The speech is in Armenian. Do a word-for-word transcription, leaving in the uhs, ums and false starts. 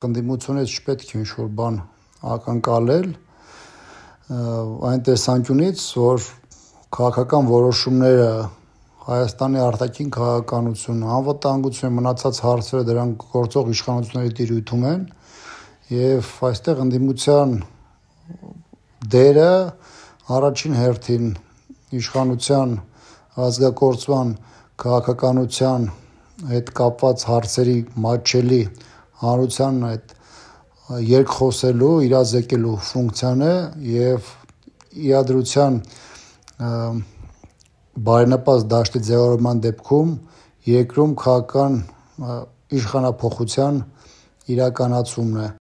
Ընդդիմությունից չպետք է ինչ-որ բան ակնկալել այն տեսանկյունից, որ քաղաքական որոշումները Հայաստանի արտաքին քաղաքականությունը, անվտանգությունը, մնացած հարցերը դրանք գործող իշխանությունների տիրույթում են եւ այստեղ ընդդիմության դերը առաջին հերթին իշխանության ազգակործման քաղաքականության հետ կապված հարցերի մատչելի հանրության այդ երկխոսելու, իրազեկելու ֆունկցիան է եւ իրադրության բարենպաստ դաշտի ձևավորման դեպքում երկրում քաղաքական իշխանափոխության իրականացումն է։